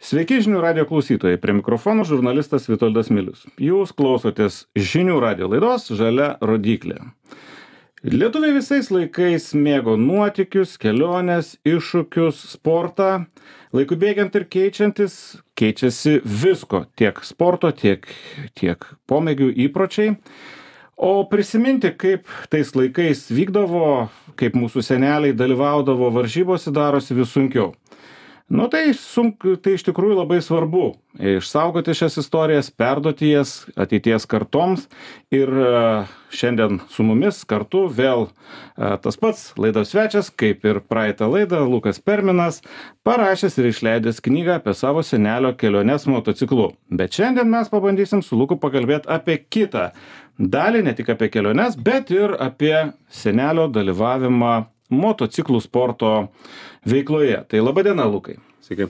Sveiki žinių radio klausytojai, prie mikrofono žurnalistas Vitoldas Milius. Jūs klausotės žinių radio laidos Žalia rodyklė. Lietuviai visais laikais mėgo nuotykius, keliones, iššūkius, sportą. Laiku bėgiant ir keičiantis, keičiasi visko, tiek sporto, tiek pomėgių įpročiai. O prisiminti, kaip tais laikais vykdavo, kaip mūsų seneliai dalyvaudavo varžybose, darosi vis sunkiau. Tai iš tikrųjų labai svarbu išsaugoti šias istorijas, perduoti jas ateities kartoms. Ir šiandien su mumis kartu vėl tas pats laidos svečias, kaip ir praeitą laidą, Lukas Perminas, parašęs ir išleidęs knygą apie savo senelio keliones motociklu. Bet šiandien mes pabandysim su Luku pakalbėti apie kitą dalį, ne tik apie keliones, bet ir apie senelio dalyvavimą motociklų sporto veikloje. Tai laba diena, Lukai. Sveiki.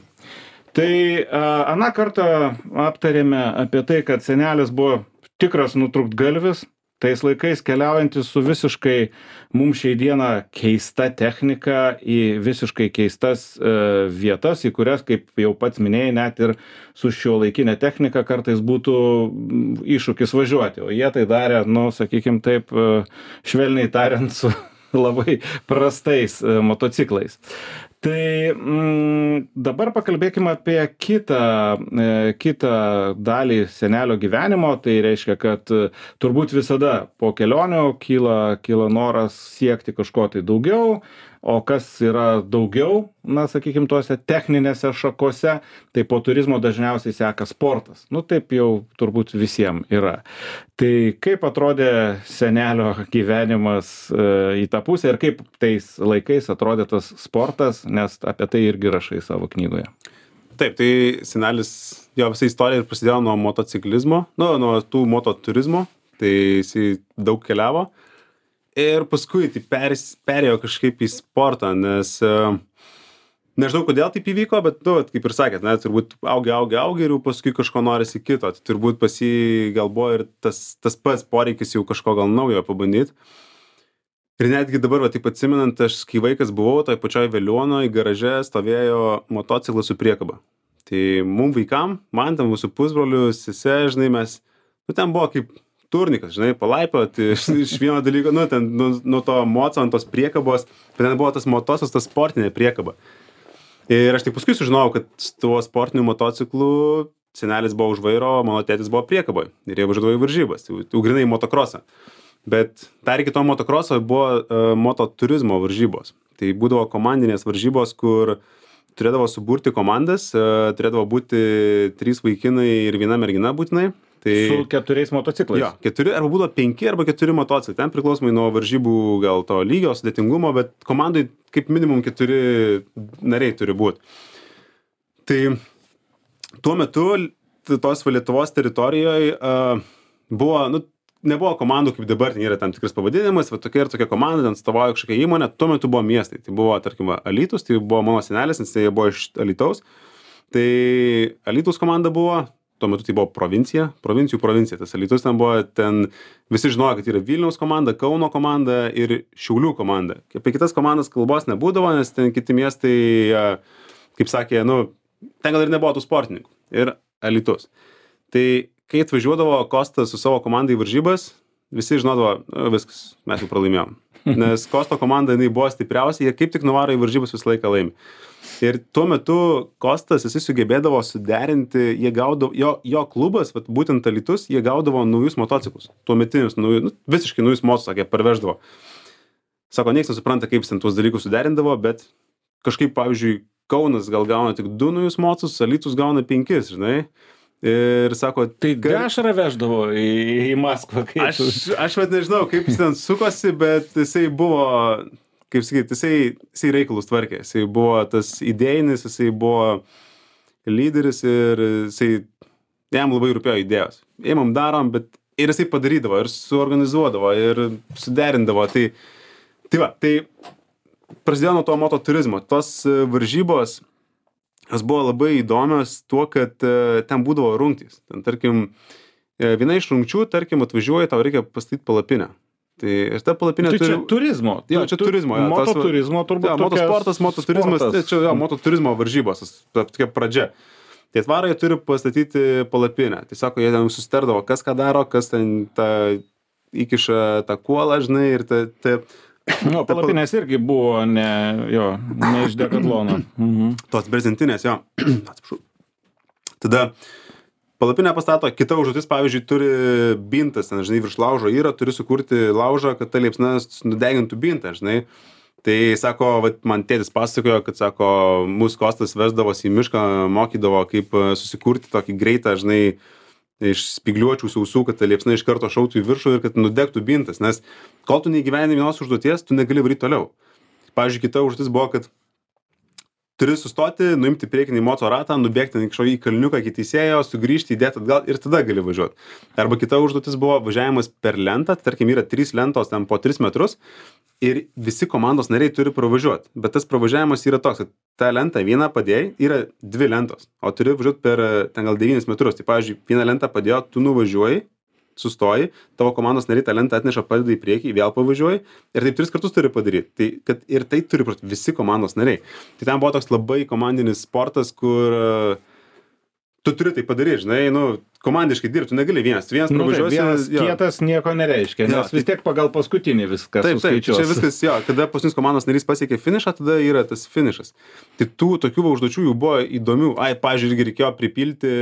Tai aną kartą aptarėme apie tai, kad senelis buvo tikras nutrūktgalvis, tais laikais keliaujantis su visiškai mums šiai dieną keista technika į visiškai keistas vietas, į kurias, kaip jau pats minėjai, net ir su šiuolaikinė technika kartais būtų iššūkis važiuoti. O jie tai darė, sakykim taip, švelniai tariant, su labai prastais motociklais. Tai dabar pakalbėkime apie kitą dalį senelio gyvenimo. Tai reiškia, kad turbūt visada po kelionių kyla noras siekti kažko tai daugiau. O kas yra daugiau, sakykim, tuose techninėse šakose, tai po turizmo dažniausiai seka sportas. Taip jau turbūt visiems yra. Tai kaip atrodė senelio gyvenimas į tą pusę ir kaip tais laikais atrodė tas sportas, nes apie tai irgi rašai savo knygoje. Taip, tai senelis, jo visa istorija ir prasidėjo nuo motociklizmo, nuo tų mototurizmo, tai jisai daug keliavo. Ir paskui tai perėjo kažkaip į sportą, nes nežinau, kodėl taip įvyko, bet, kaip ir sakėt, turbūt augi ir jau paskui kažko norisi kito. Tai turbūt pas jį gal buvo ir tas pats poreikis jau kažko gal naujo pabandyti. Ir netgi dabar, taip atsimenant, aš kai vaikas buvau, toj pačioj Veliuonoj garaže stovėjo motociklas su priekaba. Tai mum vaikam, man ten mūsų pusbrolių, sese, žinai, mes, ten buvo kaip turnikas, žinai, palaipioti iš vieno dalyko, ten nuo to moco ant tos priekabos, bet ten buvo tas motocas, tas sportinė priekaba. Ir aš tik paskui sužinojau, kad tuo sportiniu motociklu senelis buvo už vairo, mano tėtis buvo priekaboj ir jie važiuodavo į varžybas, tai grinai į motokrosą. Bet dar iki to motokroso buvo mototurizmo varžybos. Tai būdavo komandinės varžybos, kur turėdavo suburti komandas, turėdavo būti 3 vaikinai ir 1 mergina būtinai. Su 4 motociklais. Jo, 4 arba būdavo 5 arba 4 motociklai. Ten priklausomai nuo varžybų gal to lygio, sudėtingumo, bet komandai kaip minimum 4 nariai turi būti. Tai tuo metu tos Lietuvos teritorijoje buvo, nebuvo komandų kaip dabar, ten yra tam tikras pavadinimas, tokia ir tokia komanda, ten atstovauja kažkokia įmonė, tuo metu buvo miestai. Tai buvo, tarkim, Alytus, tai buvo mano senelis, nes jie buvo iš Alytaus. Tai Alytaus komanda buvo. Tuo metu tai buvo provincijų provincija. Tas Alytus ten buvo, visi žinojo, kad yra Vilniaus komanda, Kauno komanda ir Šiaulių komanda. Apie kitas komandas kalbos nebūdavo, nes ten kiti miestai, kaip sakė, ten gal ir nebuvo tų sportininkų. Ir Alytus. Tai kai atvažiuodavo Kostas su savo komandai į varžybas, visi žinodavo, viskas, mes jau pralaimėjom. Nes Kosto komanda, jinai buvo stipriausia, jie kaip tik nuvaro į varžybas visą laiką laimi. Ir tuo metu Kostas, jisai sugebėdavo suderinti, jie gaudavo, jo klubas, būtent Alytus, jie gaudavo naujus motociklus, tuometinius, visiškai naujus motociklus, sakė, parveždavo. Sako, nieks nesupranta, kaip jis ten tuos dalykus suderindavo, bet kažkaip, pavyzdžiui, Kaunas gal gauna tik 2 naujus motociklus, Alytus gauna 5, žinai. Ir sako, tai dešrą veždavo į Maskvą. Aš nežinau, kaip jis ten sukosi, bet jisai buvo, kaip sakyti, jisai reikalus tvarkė. Jisai buvo tas idėjinis, jisai buvo lyderis ir jam labai rūpėjo idėjos. Ėmam darom, bet ir jisai padarydavo, ir suorganizuodavo, ir suderindavo. Tai prasidėjo nuo to mototurizmo. Tos varžybos, jos buvo labai įdomios tuo, kad ten būdavo rungtys. Ten, tarkim, viena iš rungčių, tarkim, atvažiuoja, tau reikia pastatyti palapinę. Tai ir ta palapinė turi... Čia turizmo. Jo, čia turizmo. Mototurizmo turbūt. Motosportas, mototurizmas, čia mototurizmo varžybos, tokia pradžia. Tai atvarą jie turi pastatyti palapinę. Tai sako, jie ten susitardavo, kas ką daro, kas ten įkiša tą kuolą, žinai, ir Nu, palapinės irgi buvo ne iš Dekatlono. tos brezentinės, jo. Atsiprašau. Tada palapinę pastato, kita užduotis, pavyzdžiui, turi bintas, ten, žinai, virš laužo yra, turi sukurti laužą, kad ta liepsna nudegintų bintą, žinai. Tai sako, vat, man tėtis pasakojo, kad sako, mūsų Kostas vesdavosi į mišką, mokydavo, kaip susikurti tokį greitą, žinai, iš spygliuočių sausų, kad ta liepsna iš karto šautų į viršų ir kad nudegtų bintas, nes kol tu neįgyveni vienos užduoties, tu negali varyti toliau. Pavyzdžiui, kita užduotis buvo, kad turi sustoti, nuimti priekinį moco ratą, nubėgti į kalniuką iki teisėjo, sugrįžti, įdėti atgal ir tada gali važiuoti. Arba kita užduotis buvo važiavimas per lentą, tarkim yra 3 lentos ten po 3 metrus ir visi komandos nariai turi pravažiuoti. Bet tas pravažiavimas yra toks, kad tą lentą vieną padėjai, yra 2 lentos, o turi važiuoti per ten gal 9 metrus. Tai pavyzdžiui, vieną lentą padėjo, tu nuvažiuoji, sustoji, tavo komandos nariai tą lentą atneša, padeda į priekį, vėl pavažiuoji ir taip 3 kartus turi padaryti. Tai, kad ir tai turi visi komandos nariai. Tai ten buvo toks labai komandinis sportas, kur tu turi tai padaryti, žinai, nu, komandiškai dirbti, tu negali vienas pravažiuosi. Vienas kietas nieko nereiškia, nes vis tiek pagal paskutinį viskas suskaičiuos. Čia viskas, kada paskutinis komandos narys pasiekė finišą, tada yra tas finišas. Tai tokių užduočių jų buvo įdomių. Pavyzdžiui, irgi reikėjo pripilti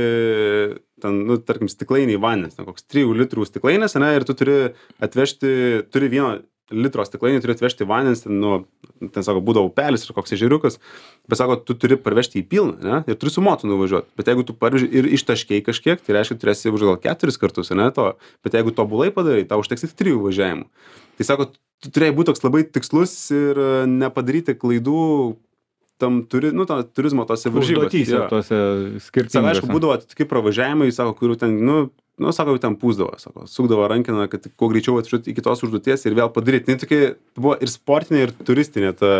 ten, nu, tarkim, stiklainį vandens, ten koks 3 litrų stiklainis, ne, ir tu turi atvežti, turi 1 litro stiklainį, turi atvežti vandens, ten sako, būdavo upelis ir koks ežeriukas, bet sako, tu turi parvežti į pilną, ne, ir turi su mocu nuvažiuoti. Bet jeigu tu parveži ir ištaškiai kažkiek, tai reiškia, turėsi už gal 4 kartus, ne, to, bet jeigu tobulai padarai, tau užteks tik 3 važiavimų. Tai sako, tu turėjai būti toks labai tikslus ir nepadaryti klaidų tam turizmo tose varžybose. Užduotyse tose skirtingose. Sako, aišku, būdavo tokie pravažiavimai, sako, kurių ten, sako, ten pūsdavo, sako, sukdavo rankiną, kad kuo greičiau atvažiuoti iki tos užduoties ir vėl padaryti. Tai tokia buvo ir sportinė, ir turistinė ta.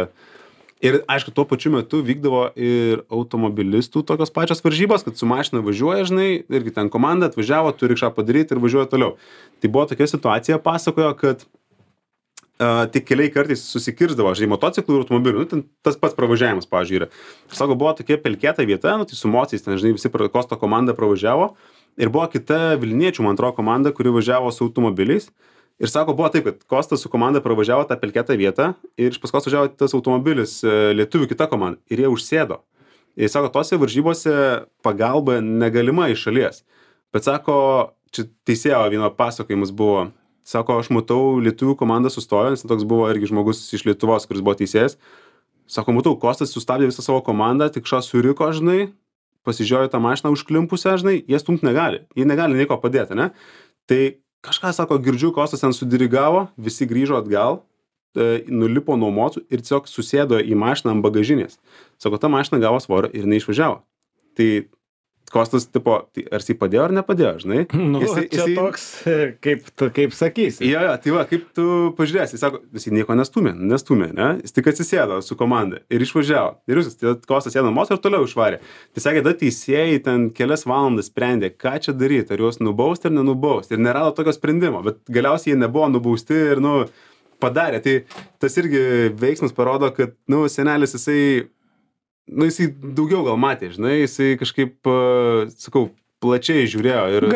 Ir, aišku, tuo pačiu metu vykdavo ir automobilistų tokios pačios varžybos, kad su mašina važiuoja, žinai, irgi ten komanda atvažiavo, turi kažką padaryti ir važiuoja toliau. Tai buvo tokia situacija, pasakojo, kad tik keliai kartais susikirsdavo, žinai, motociklų ir automobilių, ten tas pats pravažiavimas, pavyzdžiui, yra. Ir sako, buvo tokia pelkėta vieta, tai su mociais, ten, žinai, visi Kosto komanda pravažiavo ir buvo kita Vilniečių, man atrodo, komanda, kuri važiavo su automobiliais. Ir sako, buvo taip, kad Kostas su komanda pravažiavo tą pelkėtą vietą ir iš paskos važiavo tas automobilis lietuvių kita komanda ir jie užsėdo. Ir sako, tose varžybose pagalba negalima iš šalies. Bet sako, čia teisėjo vieno pasakojimas buvo. Sako, aš matau, lietuvių komanda sustojo, nes toks buvo irgi žmogus iš Lietuvos, kuris buvo teisėjas. Sako, matau, Kostas sustabdė visą savo komandą, tik suriko, žinai, pasižiūrėjo tą mašiną užklimpusią, žinai, jie stumt negali. Jie negali nieko padėti, ne? Tai kažką, sako, girdžiu, Kostas ten sudirigavo, visi grįžo atgal, nulipo nuo mocų ir tiesiog susėdo į mašiną ant bagažinės. Sako, ta mašina gavo svorio ir neišvažiavo. Tai Kostas, tipo, tai ar jis padėjo ar nepadėjo, žinai? Čia toks, kaip sakysi. Jo, tai va, kaip tu pažiūrėsi, jis sako, jis nieko nestumė, ne? Jis tik atsisėdo su komanda ir išvažiavo. Ir jūs, tai Kostas sėdo mocą ir toliau išvarė. Tai sakė, tada teisėjai ten kelias valandas sprendė, ką čia daryti, ar juos nubausti ar nenubausti. Ir nerado tokio sprendimo, bet galiausiai jie nebuvo nubausti ir, padarė. Tai tas irgi veiksmas parodo, kad, senelis jisai daugiau gal matė, žinai, jisai kažkaip, sakau, plačiai žiūrėjo. Ir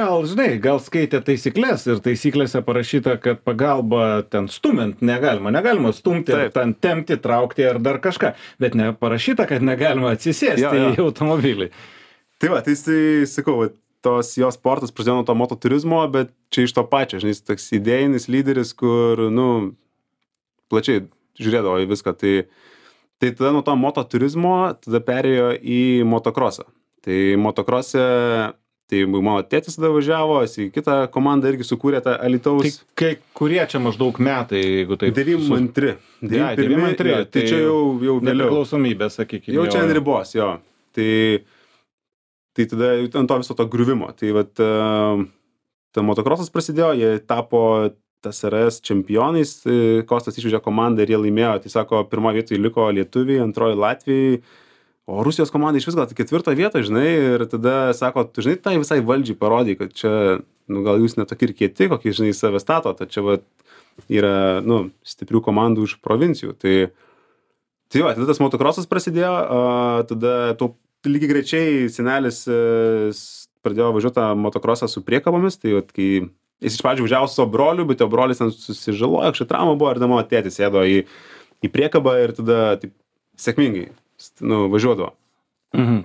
Gal skaitė taisyklės ir taisyklėse parašyta, kad pagalba ten stumint negalima stumti, ten tempti, traukti ar dar kažką, bet neparašyta, kad negalima atsisėsti į automobilį. Tai va, tai jisai, sakau, tos jo sportas prasidėjo nuo to mototurizmo, bet čia iš to pačio, žinai, jis toks idėjinis lyderis, kur, plačiai žiūrėdavo į viską. Tai tada nuo to mototurizmo tada perėjo į motokrosą. Tai motokrose, tai mano tėtis tada važiavo, jis į kitą komandą irgi sukūrė tą Alytaus. Tai kurie čia maždaug metai, jeigu taip? 92. 92. Tai čia jau vėliau. Nepriklausomybė, sakykime. Jau čia ant ribos, jo. Tai tada ant to viso to griuvimo. Tai vat, ta motokrosas prasidėjo, jie tapo TSRS čempionais, Kostas išvežė komandą ir jie laimėjo. Tai sako, pirmoje vietoje liko lietuviai, antroji Latvijai, o Rusijos komanda iš vis gal 4 vietoje, žinai, ir tada sako, tu žinai, tai visai valdžiai parodai, kad čia, gal jūs netokie ir kieti, kokį, žinai, save stato, tai čia yra, stiprių komandų iš provincijų. Tai va, tada tas motokrosas prasidėjo, tada lygiai grečiai senelis pradėjo važiuoti tą motokrosą su priekabomis, tai vat, kai jis iš pradžių važiavo su savo broliu, bet jo brolis ten susižalojo, kažkokia trauma buvo ir mano tėtis sėdo į priekabą ir tada taip sėkmingai važiuodavo.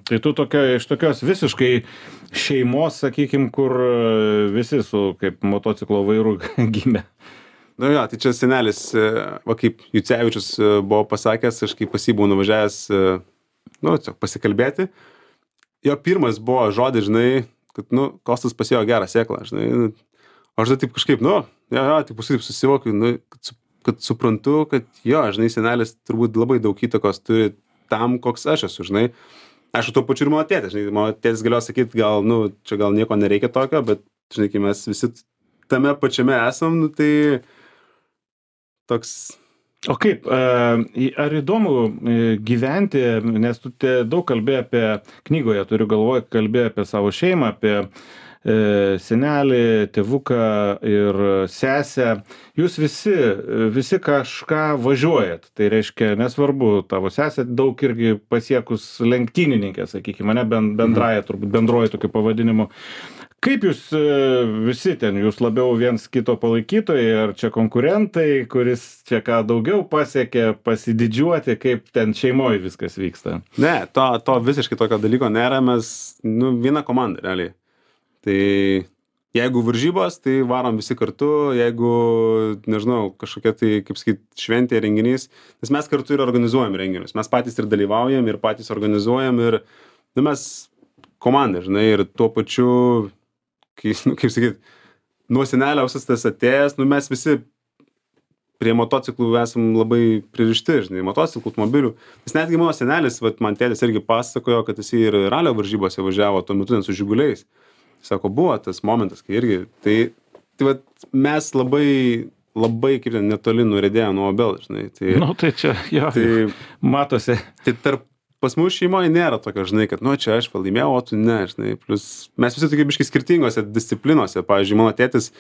Tai tu iš tokios visiškai šeimos, sakykim, kur visi su kaip motociklo vairu gimė. Jo, tai čia senelis, va kaip Jucevičius buvo pasakęs, aš kaip pas jį buvau nuvažiavęs, tiesiog pasikalbėti. Jo pirmas buvo žodis, žinai, kad, Kostas pasėjo gerą sėklą, žinai. Aš taip kažkaip, taip paskui taip susivokiu, kad suprantu, kad jo, žinai, senelis turbūt labai daug įtakos turi tam, koks aš esu, žinai. Aišku, tuo pačiu ir mano tėtis, žinai, mano tėtis galėjo sakyti, čia gal nieko nereikia tokio, bet, žinai, kai mes visi tame pačiame esam, tai toks... O kaip, ar įdomu gyventi, nes tu daug kalbėjai apie, knygoje turiu galvoje, kalbėjai apie savo šeimą, apie senelį, tėvuką ir sesę. Jūs visi kažką važiuojat. Tai reiškia, nesvarbu, tavo sesė daug irgi pasiekus lenktynininkė, sakykime, ne bendraja, turbūt bendroji tokiu pavadinimu. Kaip jūs visi ten, jūs labiau viens kito palaikytojai, ar čia konkurentai, kuris čia ką daugiau pasiekė, pasididžiuoti, kaip ten šeimoje viskas vyksta? Ne, to visiškai tokio dalyko nėra, mes, viena komanda, realiai. Tai jeigu varžybos, tai varom visi kartu, jeigu, nežinau, kažkokia tai, kaip sakyt, šventė, renginys, nes mes kartu ir organizuojam renginius, mes patys ir dalyvaujam, ir patys organizuojam, ir, mes komanda, žinai, ir tuo pačiu, kaip sakyt, nuo senelio visas tas atėjęs, mes visi prie motociklų esam labai pririšti, žinai, motociklų, automobilių, nes netgi mano senelis, man tėtis irgi pasakojo, kad jis ir ralio varžybose važiavo tuo metu su žiguliais. Sako, buvo tas momentas, kai irgi, tai mes labai kaip ten netoli nuredėjo nuo obels, žinai. Tai čia, jo, matosi. Tai pas mūsų šeimoje nėra tokio, žinai, kad, čia aš laimėjau, o tu ne, žinai. Plus, mes visi tokie biškai skirtingose disciplinose. Pavyzdžiui, mano tėtis,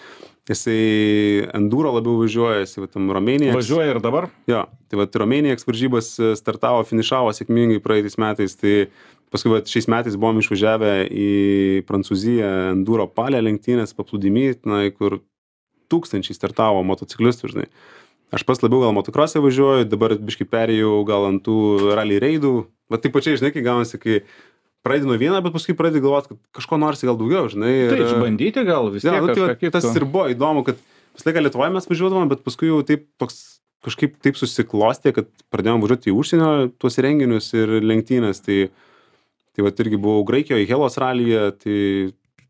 jisai enduro labiau važiuoja, jisai tam Romėnija. Važiuoja ir dabar? Jo, tai Romėnija varžybas startavo, finišavo sėkmingai praeitais metais, tai paskui šiais metais buvom išvažiavę į Prancūziją enduro palę lenktynės paplūdimy, kur tūkstančiai startavo motociklistų, žinai. Aš pas labiau gal motokrose važiuoju, dabar biškai perėjau gal ant tų rally reidų. Taip pačiai, žinai, kai gaunasi, kai pradedi nuo vieną, bet paskui pradedi galvoti, kad kažko norisi gal daugiau, žinai. Tai išbandyti gal vis tiek kažką kitą. Tas ir buvo įdomu, kad visą laiką Lietuvoje mes važiuodavom, bet paskui jau taip kažkaip taip susiklostė, kad pradėjom važiuoti į užsienio tuos renginius ir lenktynės. Tai irgi buvau Graikijoje, Helos ralyje, tai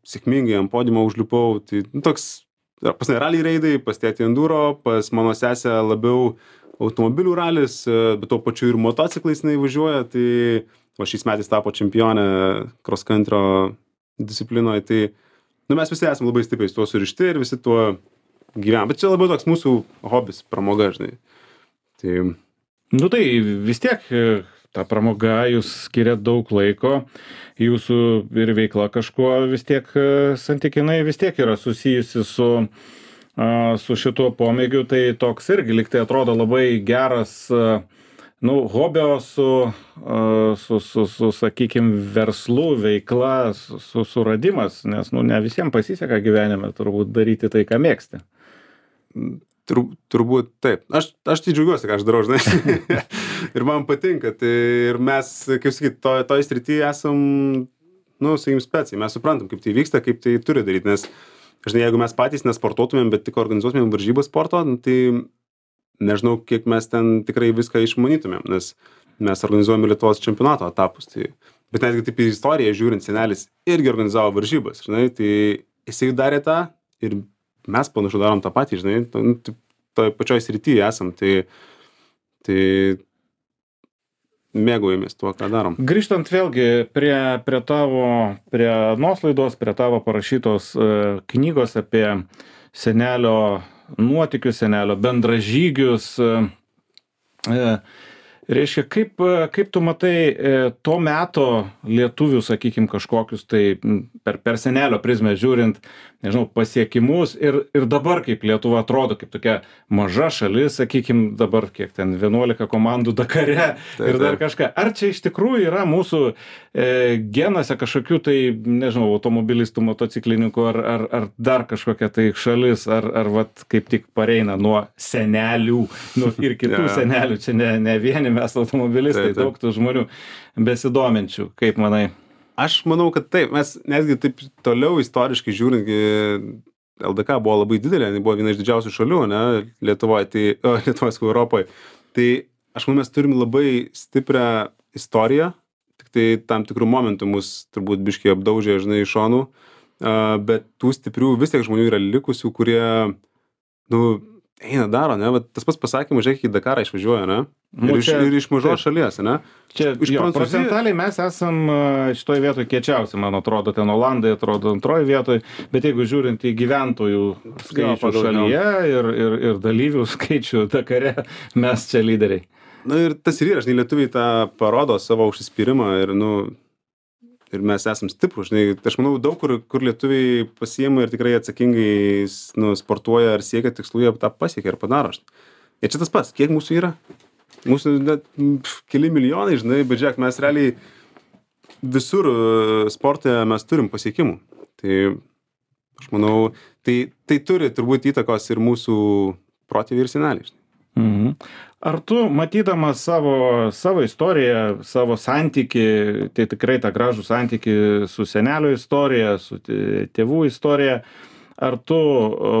sėkmingai ant podiumo užlipau. Tai toks, pas ne rally reidai, pas tėtį enduro, pas mano sesę labiau automobilių ralis, bet tuo pačiu ir motociklais jinai važiuoja. Tai šiais metais tapo čempionė cross country disciplinoje. Tai mes visi esame labai stipriai tuo surišti ir visi tuo gyvenam. Bet čia labiau toks mūsų hobis, pramoga, žinai. Tai vis tiek... Ta pramoga, jūs skiriat daug laiko, jūsų ir veikla kažkuo vis tiek santykinai vis tiek yra susijusi su šituo pomėgiu, tai toks irgi liktai atrodo labai geras, hobio su sakykime, verslu, veikla, suradimas, nes, ne visiems pasiseka gyvenime turbūt daryti tai, ką mėgsti. Turbūt taip. Aš tai džiaugiuosi, ką aš darau, žinai. Ir man patinka. Tai ir mes, kaip sakyt, toj srityje esam, sakykim, speciai. Mes suprantam, kaip tai vyksta, kaip tai turi daryti. Nes, žinai, jeigu mes patys nesportuotumėm, bet tik organizuotumėm varžybas sporto, tai nežinau, kiek mes ten tikrai viską išmanytumėm. Nes mes organizuojame Lietuvos čempionato etapus. Bet netgi taip į istoriją žiūrint, senelis irgi organizavo varžybas, žinai. Tai jisai darė tą ir mes panašu darom tą patį, žinai, toj pačioj srityje esam, tai mėgaujamės tuo, ką darom. Grįžtant vėlgi prie anos laidos, prie tavo parašytos knygos apie senelio nuotykius, senelio bendražygius, Reiškia, kaip tu matai to meto lietuvių, sakykim, kažkokius tai per senelio prizmę žiūrint, nežinau, pasiekimus ir dabar kaip Lietuva atrodo, kaip tokia maža šalis, sakykim, dabar kiek ten 11 komandų Dakare ir dar kažką. Ar čia iš tikrųjų yra mūsų genuose kažkokių tai, nežinau, automobilistų, motociklininkų ar dar kažkokia tai šalis, ar vat kaip tik pareina nuo senelių, ir kitų senelių, čia ne vieni mes automobilistai, daug tų žmonių besidominčių, kaip manai? Aš manau, kad taip, mes netgi taip toliau istoriškai žiūrint, LDK buvo labai didelė, buvo viena iš didžiausių šalių, ne, Lietuvoje, Europoje. Tai aš manau, mes turim labai stiprią istoriją, tik tai tam tikrų momentų mus turbūt biškiai apdaužė, žinai, iš šonų, bet tų stiprių vis tiek žmonių yra likusių, kurie, eina daro, ne, bet tas pats pasakymas, žiūrėk, į Dakarą išvažiuoja, ne, ir iš mažos šalies, ne. Čia procentaliai mes esam šitoj vietoj kiečiausi, man atrodo, ten Olandai atrodo antroji vietoj, bet jeigu žiūrint į gyventojų skaičių šalyje ir dalyvių skaičių Dakare, mes čia lyderiai. Ir tas ir yra, žinai, lietuviai tą parodo savo užsispyrimą ir mes esam stiprus, žinai, aš manau, daug kur lietuviai pasiima ir tikrai atsakingai sportuoja ar siekia tikslų, jie tą pasiekia ir padaro. Ir čia tas pats, kiek mūsų yra? Mūsų net keli milijonai, žinai, bet žiūrėk, mes realiai visur sporte mes turim pasiekimų. Tai aš manau, tai turi turbūt įtakos ir mūsų protėviai ir seneliai. Mhm. Ar tu, matydamas savo istoriją, savo santykį, tai tikrai tą gražų santykį su senelio istorija, su tėvų istorija, ar tu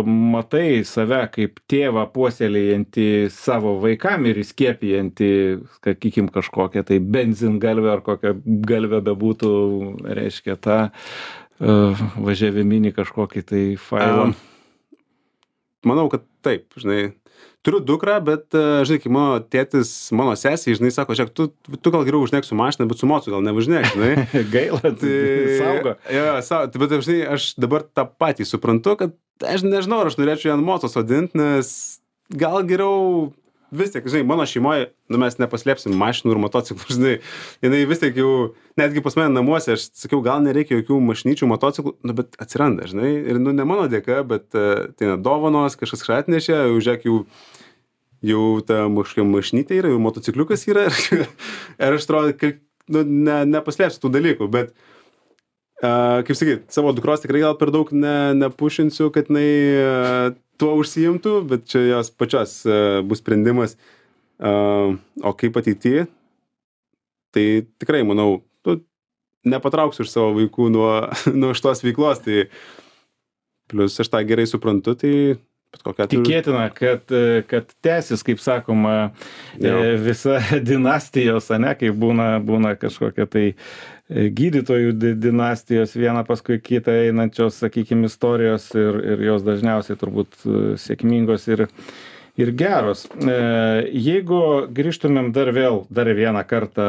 matai save kaip tėvą puoselėjantį savo vaikam ir įskiepijantį, sakykim, kažkokią tai benzingalvę ar kokią galvę bebūtų, reiškia, tą važiaviminį kažkokį tai failą? Manau, kad taip, žinai. Turiu dukrą, bet, žinai, kai mano tėtis, mano sesiai, žinai, sako, žiūrėk, tu gal geriau važinėk su mašina, bet su mocu gal nevažinėk, žinai. Gaila, tai saugo. Bet, žinai, aš dabar tą patį suprantu, kad aš nežinau, ar aš norėčiau ją ant mocos sodinti, nes gal geriau vis tiek, žinai, mano šeimoje, mes nepaslėpsim mašinų ir motociklų, žinai, jinai vis tiek jau, netgi pas mane namuose, aš sakiau, gal nereikia jokių mašinyčių, motociklų, bet atsiranda, žinai, ir ne mano dėka, bet tai dovanos, kažkas atnešė, žiūrėk, jau ta mašinytė yra, jau motocikliukas yra, ir aš atrodo, nepaslėpsiu tų dalykų, bet, kaip sakyt, savo dukros tikrai gal per daug nepušinsiu, kad jinai tuo užsiimtų, bet čia jos pačios bus sprendimas, o kaip ateityje, tai tikrai, manau, nepatrauksiu iš savo vaikų nuo šitos veiklos, tai plus aš tą gerai suprantu, tai tikėtina, kad tęsis, kaip sakoma, visa dinastijos, ane, kai būna kažkokia tai gydytojų dinastijos viena paskui kitą einančios, sakykime, istorijos ir jos dažniausiai turbūt sėkmingos ir geros. Jeigu grįžtumėm dar vieną kartą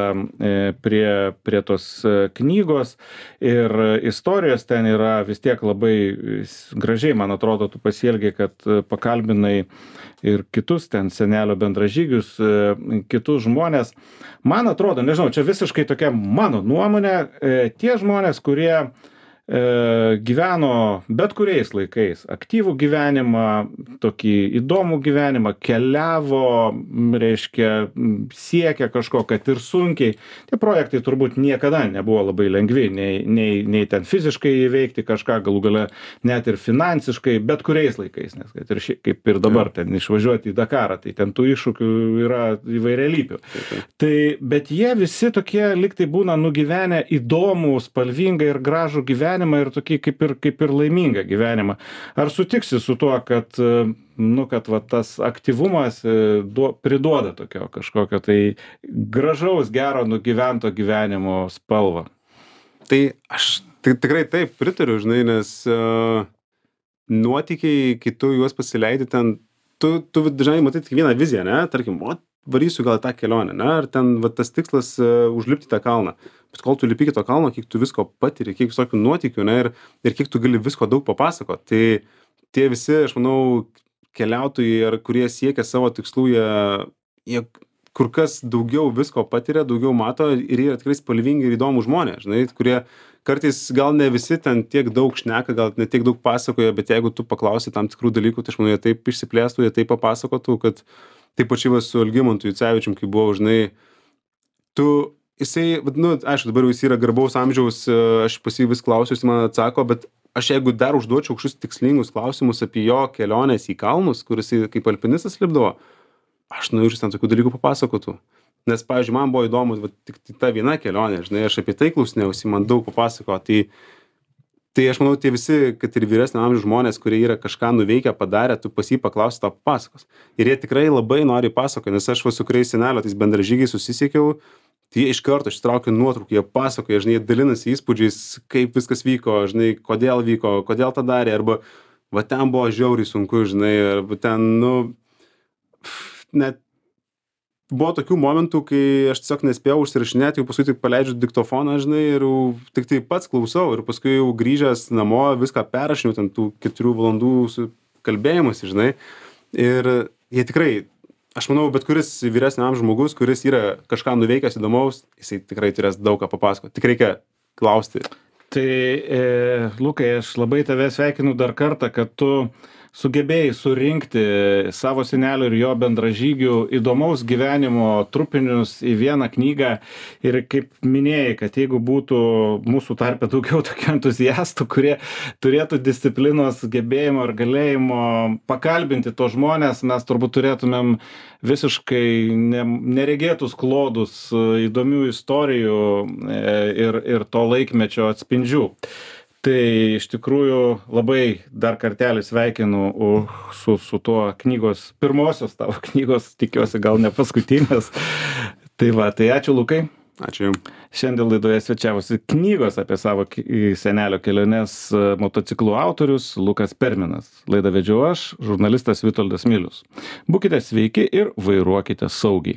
prie tos knygos ir istorijos, ten yra vis tiek labai gražiai, man atrodo, tu pasielgiai, kad pakalbinai ir kitus ten senelio bendražygius, kitus žmonės. Man atrodo, nežinau, čia visiškai tokia mano nuomonė, tie žmonės, kurie gyveno bet kuriais laikais, aktyvų gyvenimą, tokį įdomų gyvenimą, keliavo, reiškia, siekė kažko, kad ir sunkiai. Tie projektai turbūt niekada nebuvo labai lengvi, nei ten fiziškai įveikti kažką, galų gale net ir finansiškai, bet kuriais laikais, nes kaip ir dabar ten išvažiuoti į Dakarą, tai ten tų iššūkių yra įvairialypių. Tai, bet jie visi tokie liktai būna nugyvenę įdomų, spalvingą ir gražų gyvenimą ir tokį kaip ir laimingą gyvenimą. Ar sutiksi su tuo, kad va, tas aktyvumas priduoda tokio kažkokio tai gražaus, gero nugyvento gyvenimo spalvą? Tai aš tikrai taip pritariu, žinai, nes nuotykiai, kai tu juos pasileidi ten, tu dažnai matai tik vieną viziją, ne? Tarkim, varysiu gal tą kelionę, ne? Ar ten va, tas tikslas užlipti tą kalną. Bet kol tu lipi iki to kalno, kiek tu visko patiri, kiek visokių nuotykių, ne? Ir kiek tu gali visko daug papasakoti. Tai tie visi, aš manau, keliautojai, ar kurie siekia savo tikslų, jie kur kas daugiau visko patiria, daugiau mato ir yra tikrai spalvingi ir įdomūs žmonės, žinai, kurie kartais gal ne visi ten tiek daug šneka, gal ne tiek daug pasakoja, bet jeigu tu paklausi tam tikrų dalykų, tai aš manau, jie taip išsiplėstų, jie taip papasakotų, kad taip pačiai va su Algimantu Jucevičium, kai buvo, žinai, jisai, nu, aišku, dabar jau jis yra garbaus amžiaus, aš pas jį vis klausiu, jis man atsako, bet aš jeigu dar užduočiau kažkokius tikslingus klausimus apie jo keliones į kalnus, kur jisai kaip alpinistas lipdavo, aš nuėjus ten tokių dalykų papasakotų. Nes, pavyzdžiui, man buvo įdomu, va, tik ta viena kelionė, žinai, aš apie tai klausinėjausi, man daug papasako. Tai aš manau, tie visi, kad ir vyresnio amžiaus žmonės, kurie yra kažką nuveikę, padarę, tu pas jį paklausi, tau papasakos. Ir jie tikrai labai nori pasakoti, nes aš va su kuriais senelio tais bendražygiais susisiekiau, tai jie iš karto ištraukia nuotraukų, jie pasakoja, žinai, jie dalinasi įspūdžiais, kaip viskas vyko, žinai, kodėl tą darė, arba va ten buvo žiauriai sunku, žinai, arba ten, nu, net buvo tokių momentų, kai aš tiesiog nespėjau užsirašinėti, jau paskui tik paleidžiu diktofoną, žinai, ir tik tai pats klausau, ir paskui jau grįžęs namo viską perrašinau, ten tų 4 valandų kalbėjimas, žinai, ir jie tikrai, aš manau, bet kuris vyresnio amžiaus žmogus, kuris yra kažką nuveikęs įdomaus, jisai tikrai turės daug ką papasakoti, tik reikia klausti. Tai, Lukai, aš labai tave sveikinu dar kartą, kad tu sugebėjai surinkti savo senelio ir jo bendražygių įdomaus gyvenimo trupinius į vieną knygą ir kaip minėjai, kad jeigu būtų mūsų tarpe daugiau tokių entuziastų, kurie turėtų disciplinos, gebėjimo ir galėjimo pakalbinti tos žmonės, mes turbūt turėtumėm visiškai neregėtus klodus įdomių istorijų ir to laikmečio atspindžių. Tai iš tikrųjų labai dar kartelį sveikinu su tuo knygos, pirmosios tavo knygos, tikiuosi gal ne paskutinės. Tai va, tai ačiū Lukai. Ačiū Jums. Šiandien laidoje svečiavosi knygos apie savo senelio keliones motociklų autorius Lukas Perminas. Laidą vedžiau aš, žurnalistas Vitoldas Milius. Būkite sveiki ir vairuokite saugiai.